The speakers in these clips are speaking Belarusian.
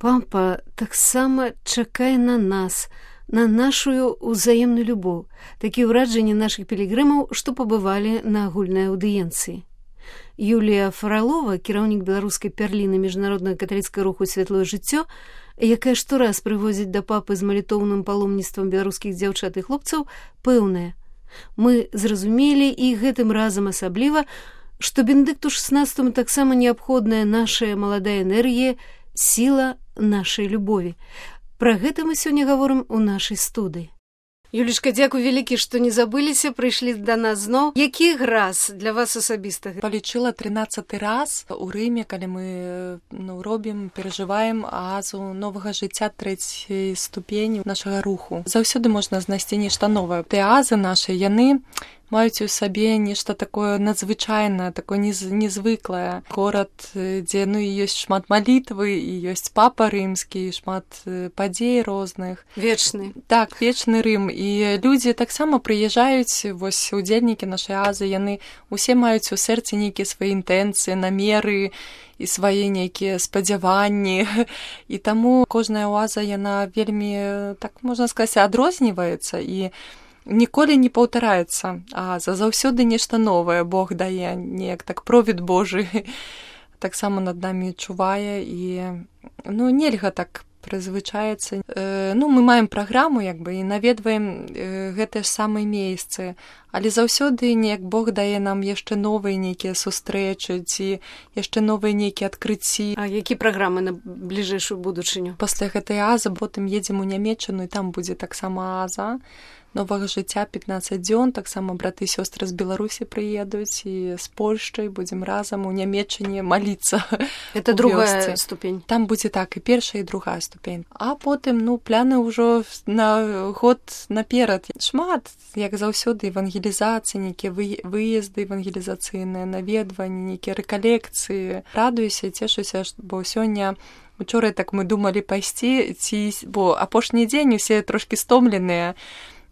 Папа таксама чакае на нас, на нашу ўзаемную любоў. Такія ўражанні нашых пілігрымаў, што пабывалі на агульнай аўдыенцыі. Юлія Фралова, кіраўнік беларускай пярліны міжнароднага каталіцкага руху «Святлое жыццё», якая штораз прывозіць да папы з малітоўным паломніцтвам беларускіх дзяўчат і хлопцаў, пэўная: мы зразумелі, і гэтым разам асабліва, што Бенедыкту XVI таксама неабходная наша маладая энергія, сіла нашай любові. Пра гэта мы сёння гаворым у нашай студыі. Юлічка, дзякуй вялікі, што не забыліся, прыйшлі да нас зноў. Які раз для вас асабіста? Палічыла 13-й раз у Рыме, калі мы робім, перажываем аазу новага жыцця трэцяй ступені нашага руху. Заўсёды можна знайсці нешта новае. Тыя аазы нашы, яны маюць у сабе нешта такое надзвычайнае, такое незвыклае. Горад, дзе ёсць шмат малітвы, і ёсць папа рымскі, шмат падзей розных. Вечны. Так, вечны Рым. І людзі таксама прыязджаюць, вось удзельнікі нашай аазы, яны усе маюць у сэрцы нейкія свае інтэнцыі, намеры і свае нейкія спадзяванні. І таму кожная ааза, яна вельмі, так можна сказаць, адрозніваецца і ніколі не паўтараецца, а заўсёды нешта новае Бог дае, неяк так провід Божы таксама над намі чувае, і нельга так прызвычаецца. Мы маем праграму, і наведваем гэтыя ж самыя месцы, але заўсёды неяк Бог дае нам яшчэ новыя нейкія сустрэчы, ці яшчэ новыя нейкія адкрыцці. А які праграмы на бліжэйшую будучыню? Пасля гэтай аазы потым едзем у Нямеччыну, і там будзе таксама ааза новага жыцця 15 дзён, таксама браты і сёстры з Беларусі прыедуць, і з Польшчай будзем разам у Нямеччыне маліцца. Это другая ступень. Там будзе так, і першая, і другая ступень. А потым, пляны ўжо на год наперад. Шмат, як заўсёды, евангелізацыі, нейкія выезды евангелізацыйныя, наведванні, нейкія рэкалекцыі. Радуюся, цешуся, бо сёння учора так мы думалі пайсці, бо апошні дзень усе трошкі стомленыя,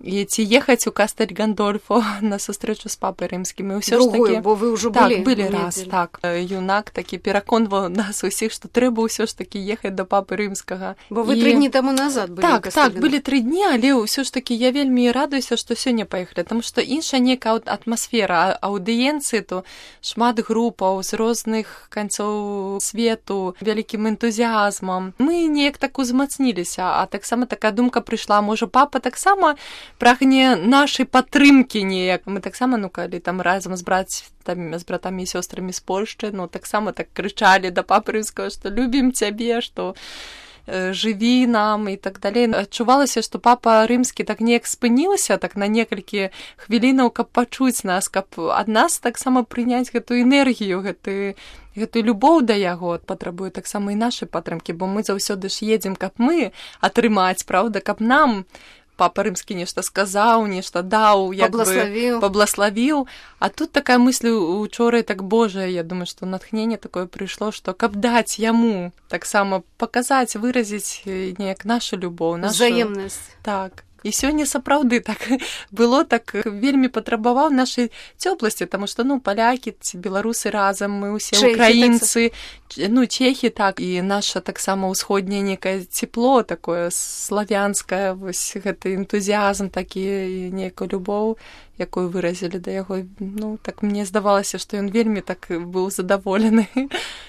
і ці ехаць у Кастель Гандольфо на сустрэчу з папай рымскім. І ўсё другую, ж такі, бо вы ўжо былі. Так, былі раз, так. Юнак такі пераконваў нас усіх, што трэба ўсё ж такі ехаць да папы рымскага. Бо вы 3 дні таму назад былі. Так, былі 3 дні, але ўсё ж такі я вельмі радуюся, што сёння паехалі, таму што іншая нейкая атмасфера аўдыенцыі, то шмат групаў з розных канцоў свету, вялікім энтузіазмам. Мы неяк так узмацніліся, а таксама такая думка прыйшла, можа, папа таксама прагне нашай падтрымкі неяк. Мы таксама, калі там разам з братамі і сёстрамі з Польшчы, таксама так крычалі да папы рымскага, што любім цябе, што жыві нам і так далей. Адчувалася, што папа рымскі так неяк спынілася так на некалькі хвілінаў, каб пачуць нас, каб ад нас таксама прыняць гэтую энергію, гэтую любоў да яго. Патрабуе таксама і нашай падтрымкі, бо мы заўсёды ж едзем, каб мы атрымаць, праўда, каб нам папа рымскі нешта сказаў, нешта даў, паблаславіў. А тут такая мысль учора, так, Божа, я думаю, што натхненне такое прыйшло, што каб даць яму таксама паказаць, выразіць неяк нашу любоў, нашу взаемнасць. Так. І сёння сапраўды так было, так вельмі патрабаваў нашай цёпласці, таму што, палякі ці беларусы разам, мы ўсе украінцы, чехі, так, і наша таксама ўсходняе некае цепло, такое славянскае, вось гэты энтузіазм такі, і нейкую любоў, якую выразілі да яго. Так мне здавалася, што ён вельмі так быў задаволены.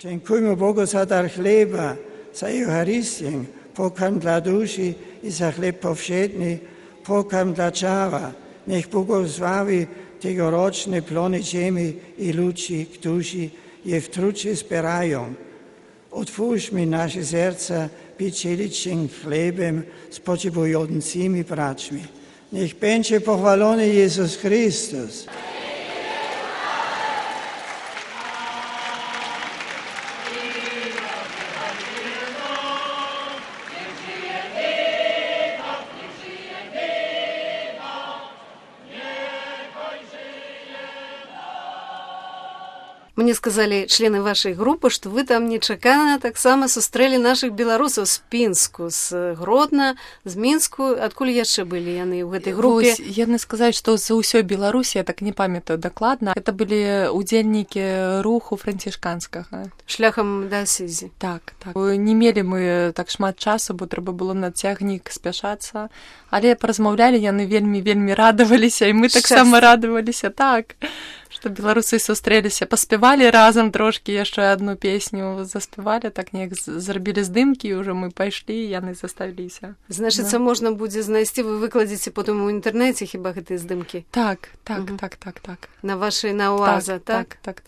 Дзякуємо Богу за дар хлеба, за Євхаристію, pokarm dla duszy i za chleb powszedni, pokarm dla ciała. Niech błogosławi tegoroczne plony ziemi i ludzi, którzy je w trucie zbierają. Otwórzmy nasze serca pieczeliczym chlebem spoczywającymi braćmi. Niech będzie pochwalony Jezus Chrystus. Мне сказали члены вашей группы, что вы там нечакана таксама сустрэлі наших беларусаў з Пінску, з Гродна, з Мінску. Адкуль яшчэ былі яны ў гэтай групе? Вось, яны сказаць, што з усёй Беларусі, я так не памятаю дакладна, это былі удзельнікі руху францішканскага. Шляхам да асізі. Так. Не мелі мы так шмат часу, бо трэба было на цягнік спяшацца, але паразмаўлялі, яны вельмі радаваліся, і мы таксама радаваліся, так, што беларусы сустрэліся, паспявалі разам трошкі яшчэ адну песню, заспявалі, так неяк зрабілі здымкі, і ўжо мы пайшлі, яны заставіліся. Значыцца, можна будзе знайсці, вы выкладзеце потым у інтэрнэце хіба гэтыя здымкі? Так. На вашай Оаза, так? Так.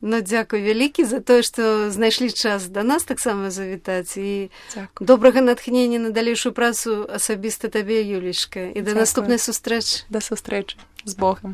Ну, дзякуй вялікі за тое, што знайшлі час да нас таксама завітаць, і дзякуй. Добрага натхнення на далейшую працу асабіста табе, Юлечка, і да наступнай сустрэчы. Да сустрэчы. З Богам.